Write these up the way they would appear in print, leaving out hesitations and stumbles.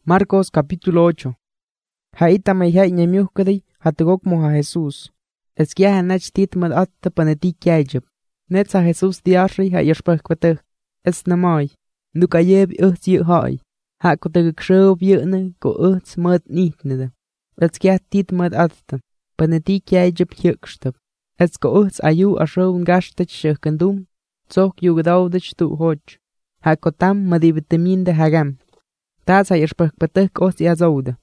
Marcos capítulo 8. Haita mayhay ñamiuhkaday hatugokmo ha Jesús. Esquiaja nach titmad atta paneti kyajab. Netza Jesús diarri ha yashpahkwatah. Es namay. Nukayeb uht yu hay. Hakotagkshob yune ko uht mud nitneda. Esquiah titmad atta. Paneti kyajab hyukstab. Es ko uht ayu ashown gastach shukandum. Tzok yugdawdach tu hoch. Hakotam madibiteminde hagam. Taza yashpahkwatah os yazouda.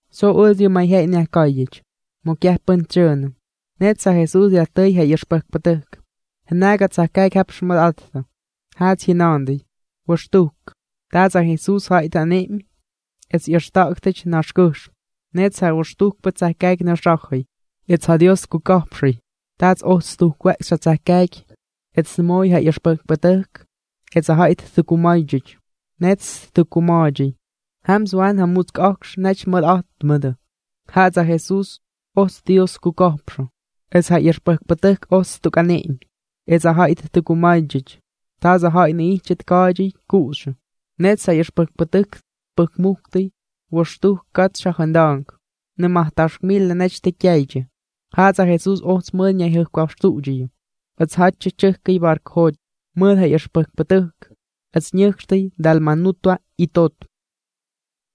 So uzyu mayhay nyakayich. Mokyah punchun. Netza Jesús yatay ha yashpahkwatah. Hanaga tsakay kapshmad atta. Hat hinandi. Washtuk. Taza Jesús haitanem. Es yashtaktich nashkush. Netza washtuk patsakay nashakhay. It's hadios kukapshi. Tats ostuk waxatsakay. It's moy ha yashpahkwatah. It's a hait thukumayjich. Nets thukumaji. Hamswan hamutsk aksh nach mad atmada. Hatza Jesús os Dios kukapsho. Es ha yashpahkwatah os tukanem. Es a hait tukumayjich. Taza hait nichit kaji kush. Netza yashpahkwatah pukmukti. Washtuk katshahandang. Nemahtashmil nech tekyaji. Hatza Jesús os mudnya hukwashtuji. Es hatchichki barkhoj. Mud ha yashpahkwatah. Es nyuchti dalmanutua itot.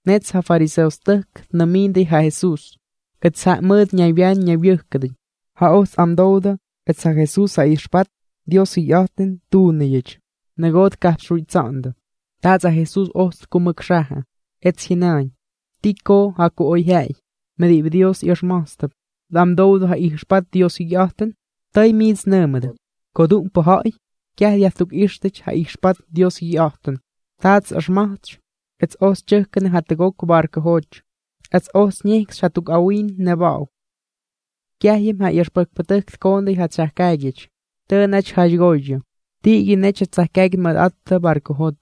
Netza fariseostak namindi ha Jesús. Es ha mud ñavian ñavyuhkadi. Ha os amdouda. Es ha Jesús ha ishpat. Dios yaten tuneyich. Nagot kapshuitzanda. Taza Jesús os kumakshaha. Et hinañ. Tiko haku oyhai. Medib Dios yashmastab. Damdouda ha ishpat Dios yaten. Tai mids nemede. Kodum pohai. Kyah yatuk ishtich ha ishpat Dios yaten. Taz ashmach. Et os chukkan hatagok barka hoch. Et os nix hatuk awin nebau. Kyahim ha yashpakpatak kondi hatshakagich. Tönach hajgoyo. Tigi necha tzakag mad atta barcohot.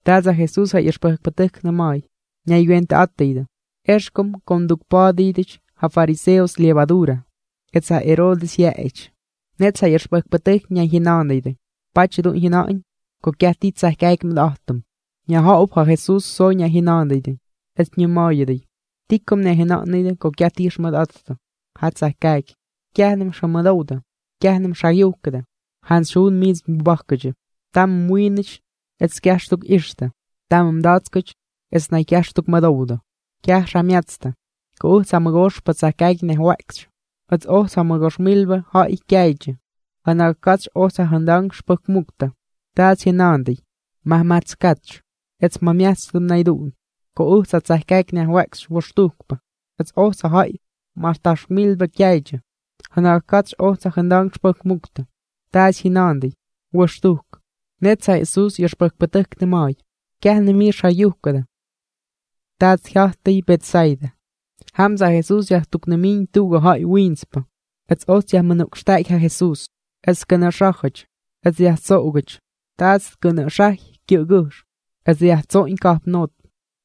Taza Jesús ha yashpakpatak namay. Ñayuenta atteida. Ershkom kondukpadidich ha fariseos levadura. Etza Herodes yaech. Netza yashpakpatak ñayhinandeide. Pachidun hinain. Kokyati tzakag mad attum. Ñahaub ha Jesús so ñayhinandeide. Et ñumayede. Tikum nehinandeide kokyati mad atta. Hatzakag. Kyahnem shamadouda. Kyahnem shayukada. Hans shun mis bakkaje. Tam muinich es kyashtuk ishta. Tam mdatskach es na kyashtuk madouda. Kyah shamiatsta. Ko samagosh patsakag ne wax. Ats o samagosh milba ha ikyaje. Hanakach o sahandang shpakmukta. Tats hinandi. Mahmatskach. Es mamiastum naidun. Ko satsakag ne wax washtukpa. Ats o sahai martash milba kyaje. Hanakach o sahandang shpakmukta. Taas hinandi. Washtuk. Netza Jesús yashpakpatak nemay. Kyah shayukada. Taas hyahti Betsaida. Hamza Jesús yahtuknemin tuga hay winspa. Es os yahmanukshtak ha Jesús. Es kanashachach. Es yahtzogach. Taas kanashach kyugush. Es yahtzoin kapnot.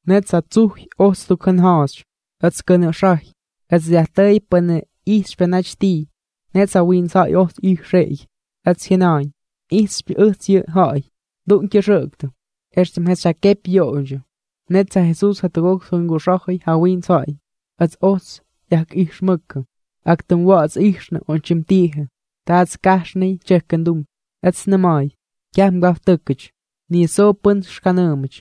Netza tzuh os tukanhash. Es kanashach. Es yahtay pane ishpenachti. Netza winsa os ishrei. Es hinain. Ispi uts hay. Dun kirukta. Erstem hesakep yojo. Netza Jesús hatagok sungushahi hawin sai. Es os yak ishmukka. Aktum was ishna onchimtiha. Tats kashni chekandum. Es namay. Kyam gaftukich. Ni sopun shkanamich.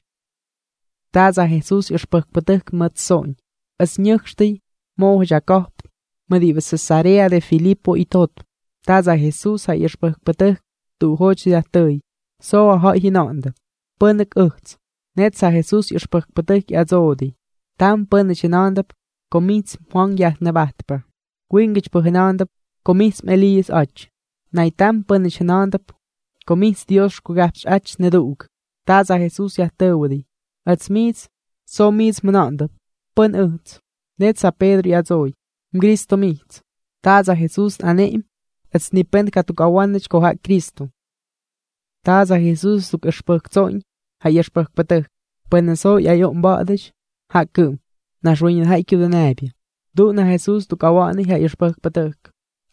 Taza Jesús ishpakpatuk matson. Es nyuchti mo Jacob. Mediva Cesarea de Filipo y tot. Taza Jesús ha yashpakpatak tu hoch yatay. So ha hinanda. Punak uchts. Netza Jesús yashpakpatak yazodi. Tam punachinandap komits Juan yahnabatpa. Wingich puhinandap komits Elías ach. Naitam punachinandap komits Dios kugapch ach nedug. Taza Jesús yatawdi. Atzmits so mits manandap. Pun uchts. Netza Pedro yazoi. Cristo mits. Taza Jesús anem. Es nipen katukawanich koha Cristo. Taza Jesús tuk ishpakzoin, ha yashpakpatah. Peneso yayon badich, ha kum. Nashwin haikyu de nabia. Duna Jesús tukawani ha yashpakpatah.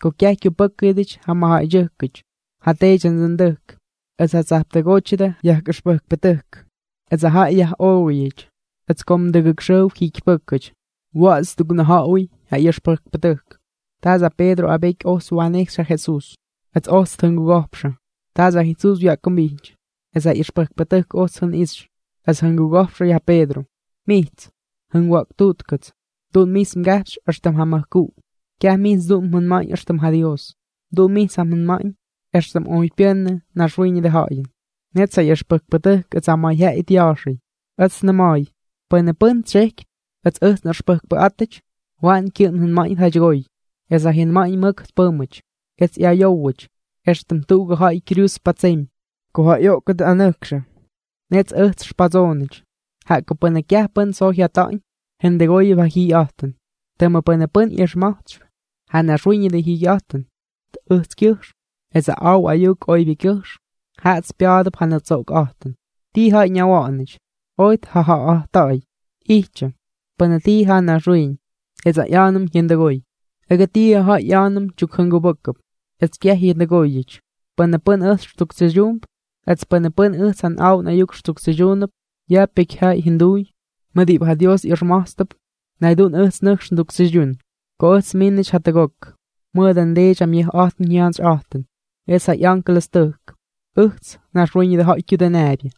Kokyakyu pakidich ha mahayukich. Ha techan zanduk. Es ha zaptagochida yah ishpakpatah. Es ha yah owich. Ets ko mdëgëkxëw jikypëkyëch. Waꞌts tuknëjaꞌuy ja ꞌyʉxpʉjkpʉtʉjk. Taza Pedro abeky ojtz wanejxy ja Jesús, ets ojtz tjʉngugo̱jpxʉ. Taza Jesús wyakʉmbijty, es ja ꞌyʉxpʉjkpʉtʉjk ojtz jʉnꞌixy, ets jʉngugo̱jpxʉ ja Pedro. Mijts, jʉnwaꞌktuꞌtkʉts, tuꞌun mijts mgajpxy éxtʉm ja mʉjkuꞌ. Kyaj mijts dun mjʉnmaꞌañ éxtʉm ja Dios. Dun mijts jamjʉnmaꞌañ éxtʉm oy pyʉnʉ naxwiiñʉdʉ ja̱ꞌa̱yʉn. Nets ja ꞌyʉxpʉjkpʉtʉjk ets ja mayjyaꞌay dya̱a̱xʉy. Ʉds nʉma̱a̱y, pʉnʉ pʉn tsyejkyp, ets ʉjts nꞌʉxpʉjkpʉꞌátʉch, waꞌan kyʉꞌʉm njʉnmaꞌañ jadygoy, es ja jyʉnmaꞌañ mʉk tpʉ́mʉch, ets ꞌyayówʉch, éxtʉm tuꞌugʉ ja̱ꞌa̱y cruz patsemy. Ko ja ꞌyoꞌkʉt anʉjkxʉ. Nets ʉjts xpadzoonʉch, jaꞌk ko pʉnʉ kyaj pʉn tsojy jyata̱ꞌa̱ñ, jʉndʉgóyʉp ja jiigyꞌa̱jtʉn. Tʉmʉ pʉnʉ pʉn ꞌyʉxma̱jtxp ja naxwiiñʉdʉ jiigyꞌa̱jtʉn, ʉjtskyʉjxm etz ja aw ayuuk oybyʉkyʉjxm, jaꞌats pya̱a̱dʉp ja nʉtsoꞌokꞌa̱jtʉn. Ti ja̱ꞌa̱y ñawa̱ꞌa̱nʉch, oy tjaja̱ꞌa̱jtta̱ꞌa̱y. Ijtyʉ, pʉnʉ ti ja naxwiiñ, etz ja ꞌya̱a̱nʉm jyʉndʉgóy. Ʉgʉ ti ja ja̱ꞌa̱y ꞌya̱a̱nʉm chyukjʉngubʉ́kʉp, ets kyaj jyʉndʉgóyʉch. Pʉnʉ pʉn ʉjts xtuktsyʉdyuump, ets pʉnʉ pʉn ʉjts ja nꞌaw nꞌayuk xtuktsʉdyuunʉp, ya pekyjyaꞌay jyʉnduuy, mʉt diꞌibʉ ja Dios ꞌyʉxma̱jtstʉp, naydun ʉjts nʉjx nduktsʉdyun. Ko ʉjts mínʉch jatʉgok, mʉʉdʉ ndeedyam yʉjꞌa̱jtʉn jyantsyꞌa̱jtʉn, etz ja ꞌyankelestʉjk. Ʉjts, naxwiiñʉdʉ ja̱ꞌa̱y kyudʉnaabyʉ.